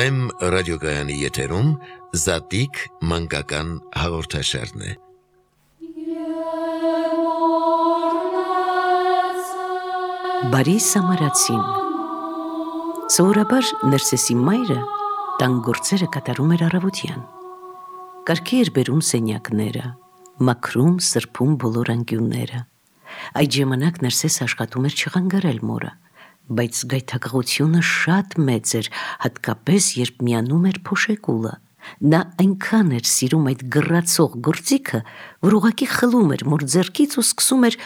Վեմ ռադիոգայանի եթերում Զատիկ մանկական հաղորդաշարն է։ Բարի Սամարացին։ Սովորաբար Ներսեսի մայրը տան գործերը կատարում էր առավոտյան։ Կարգի էր բերում սենյակները, մաքրում, սրբում բոլոր անկյունները։ Այդ ժամանակ Ներսեսը աշխատում էր չխանգարել մորը, բայց գայթակղությունը շատ մեծ էր, հատկապես երբ միանում էր փոշեկուլը։ Նա այնքան էր սիրում այդ գռացող գործիքը, որ ուղղակի խլում էր մոր ձեռքից ու սկսում էր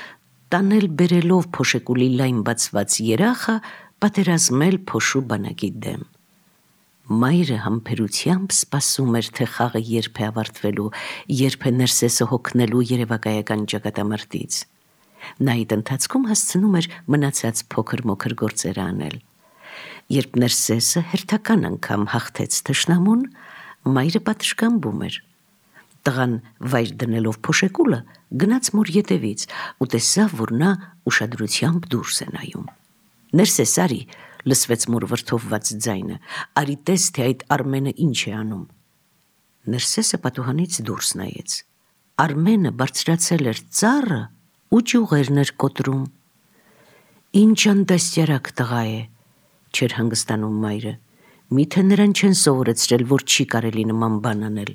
տանել բերելով փոշեկուլի լայն բացված երախը, պատերազմել փոշու բանակի դեմ։ Մայրը համբերությամբ սպասում էր, թե խաղը երբ է ավարտվելու, երբ է Ներսեսը հոգնելու երևակայական ճակատամարտից։ Նա այդ ընթացքում հասցնում էր մնացած փոքր-մոքր գործերը անել։ Երբ Ներսեսը հերթական անգամ հաղթեց թշնամուն, մայրը պատշգամբում էր։ Տղան վայր դնելով փոշեկուլը գնաց մոր ետևից ու տեսավ, որ նա ուշադրությամբ դուրս է նայում։ «Ներսես, արի», լսվեց մոր վրդովված ձայնը, «արի տես, թե այդ Արմենը ինչ է անում»։ Ներսեսը պատուհանից դուրս նայեց։ Արմենը բարձրացել էր ծառը ու ճյուղերն էր կոտրում։ «Ինչ անդաստիարակ տղա է», չէր հանգստանում մայրը, «միթե նրան չեն սովորեցրել, որ չի կարելի նման բան անել»։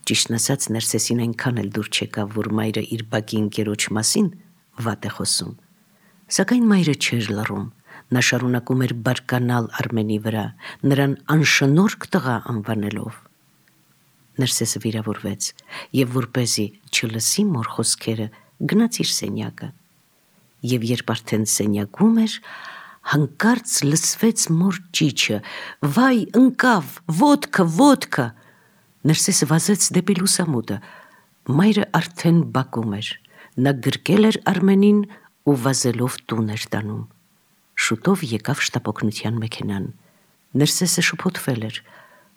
Ճիշտն ասած, Ներսեսին այնքան էլ դուր չեկավ, որ մայրը իր բակի ընկերոջ մասին վատ է խոսում։ Սակայն մայրը չէր լռում, նա շարունակում էր բարկանալ Արմենի վրա, նրան անշնորհք տղա անվանելով։ Ներսեսը վիրավորվեց և որպեսզի չլսի մոր խոսքերը, գնաց իր սենյակը։ Եվ երբ արդեն սենյակում էր, հանկարծ լսվեց մոր ճիչը. «Վայ, ընկավ, ոտքը, ոտքը»։ Ներսեսը վազեց դեպի լուսամուտը։ Մայրը արդեն բակում էր։ Նա գրկել էր Արմենին ու վազելով տուն էր տանում։ Շուտով եկավ շտապօգնության մեքենան։ Ներսեսը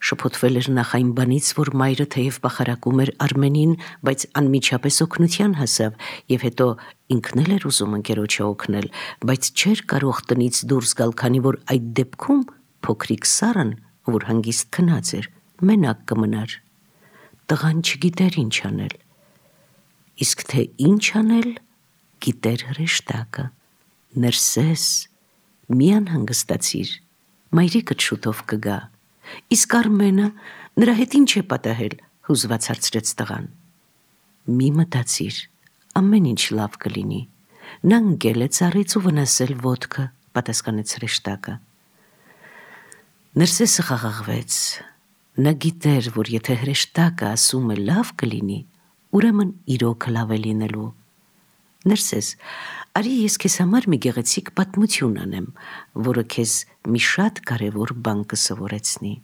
շփոթվել էր նախ այն բանից, որ մայրը թեև պախարակում էր Արմենին, բայց անմիջապես օգնության հասավ, և հետո ինքն էլ էր ուզում ընկերոջը օգնել, բայց չէր կարող տնից դուրս գալ, քանի որ այդ դեպքում փոքրիկ Սառան, որ հանգիստ քնած էր, մենակ կմնար։ Տղան չգիտեր ինչ անել։ Իսկ թե ինչ անել, գիտեր հրեշտակը։ «Ներսես, մի անհանգստացիր, մայրիկդ շուտով կգա»։ «Իսկ Արմենը, նրա հետ ինչ է պատահել», հուզված հարցրեց տղան։ «Մի մտածիր, ամեն ինչ լավ կլինի։ Նա ընկել է ծառից ու վնասել ոտքը», պատասխանեց հրեշտակը։ Ներսեսը խաղաղվեց։ Նա գիտեր, որ եթե հրեշտակը ասում է լավ կլինի, ուրեմն իրոքը լավ է լինելու։ «Ներսես, արի ես քեզ համար մի գեղեցիկ պատմություն անեմ, որը քեզ մի շատ կարևոր բան կսովորեցնի»։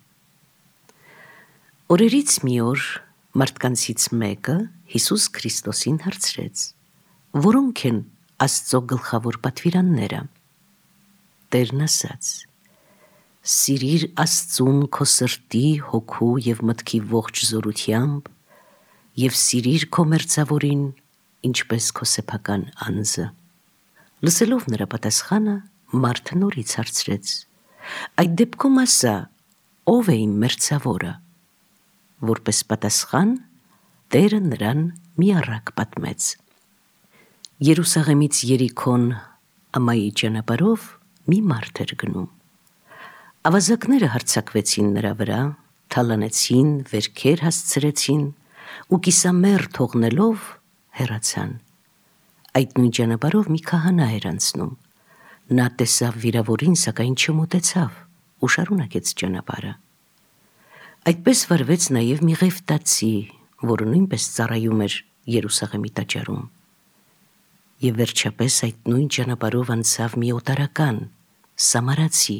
Օրերից մի օր մարդկանցից մեկը Հիսուս Քրիստոսին հարցրեց. «Որոնք են Աստծո գլխավոր պատվիրանները»։ Տերն ասաց. «Սիրիր Աստծուն քո սրտի, հոգու և մտքի ողջ զորությամբ և սիրիր քո մերձավորին, ինչպես քո սեփական անձը»։ Լսելով նրա պատասխանը, մարդը նորից հարցրեց. «Այդ դեպքում ասա, ով է իմ մերձավորը»։ Որպես պատասխան, Տերը նրան մի առակ պատմեց. Երուսաղեմից Երիքոն ամայի ճանապարհով մի մարդ էր գնում։ Ավազակները հարձակվեցին նրա վրա, թալանեցին, վերքեր հասցրեցին ու կիսամեռ թողնելով հեռացան։ Այդ նույն ճանապարհով մի քահանա էր անցնում։ Նա տեսավ վիրավորին, սակայն չմոտեցավ ու շարունակեց ճանապարհը։ Այդպես վարվեց նաև մի Ղևտացի, որը նույնպես ծառայում էր Երուսաղեմի տաճարում։ Եվ վերջապես այդ նույն ճանապարհով անցավ մի օտարական, Սամարացի,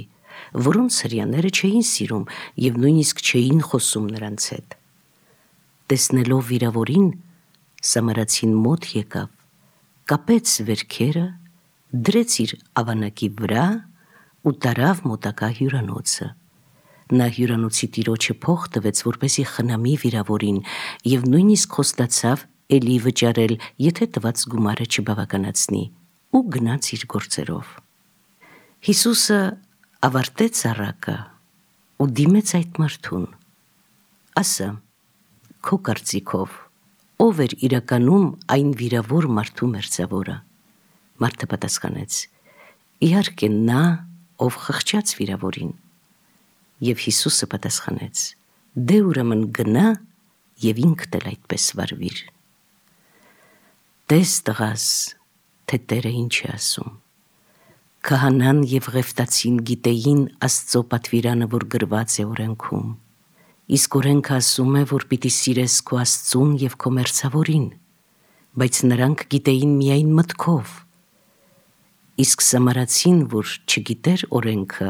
որոնց հրեաները չէին սիրում և նույնիսկ չէին խոսում նրանց հետ։ Տեսնելով վիրավորին, Սամարացին մոտ եկավ, կապեց վերքերը, դրեց իր ավանակի վրա ու տարավ մոտակա հյուրանոցը։ Նա հյուրանոցի տիրոջը փող տվեց, որպեսզի խնամի վիրավորին, և նույնիսկ խոստացավ էլի վճարել, եթե տված գումարը չբավականացնի, ու գնաց իր գործերով։ Հիսուսը ավարտեց առակը ու դիմեց այդ մարդուն. ասա, քո կարծիքով, ով էր իրականում այն վիրավոր մարդու մերձավորը։ Մարդը պատասխանեց. իհարկե նա, ով խղճաց վիրավորին։ Եվ Հիսուսը պատասխանեց. դե ուրեմն գնա և ինքդ էլ այդպես վարվիր։ Տես տղաս, թե Տերը ինչ է ասում։ Քահանան և Ղևտացին գիտեին Աստծո պատվիրանը, որ գրված է օրենքում։ Իսկ օրենքը ասում է, որ պիտի սիրես քո Աստծուն և քո մերձավորին, բայց նրանք գիտեին միայն մտքով։ Իսկ Սամարացին, որ չգիտեր օրենքը,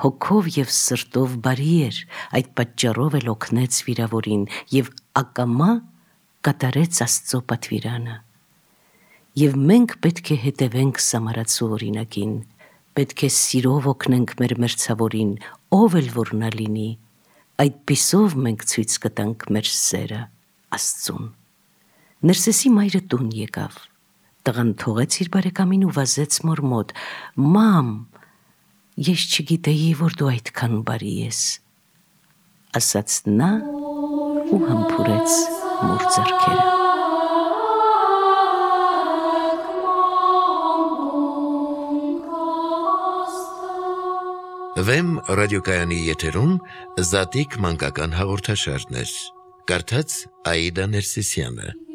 հոգով և սրտով բարի էր, այդ պատճառով էլ օգնեց վիրավորին և ակամա կատարեց Աստծո պատվիրանը։ Եվ մենք պետք է հետևենք Սամարացու օրինակին, պետք է սիրով օգնենք մեր մերձավորին, ով էլ որ նա լինի, այդպիսով մենք ցույց կտանք մեր սերը Աստծուն։ Ներսեսի մայրը տուն եկավ, տղան թողեց իր բարեկամին ու վազեց մոր մոտ. «Մամ, ես չգիտեի, որ դու այդքան բարի ես», ասաց նա ու համբուրեց մոր ձեռքերը։ Վեմ ռադիոկայանի եթերում Զատիկ մանկական հաղորդաշարներ։ Կարդաց Աիդա Ներսիսյանը։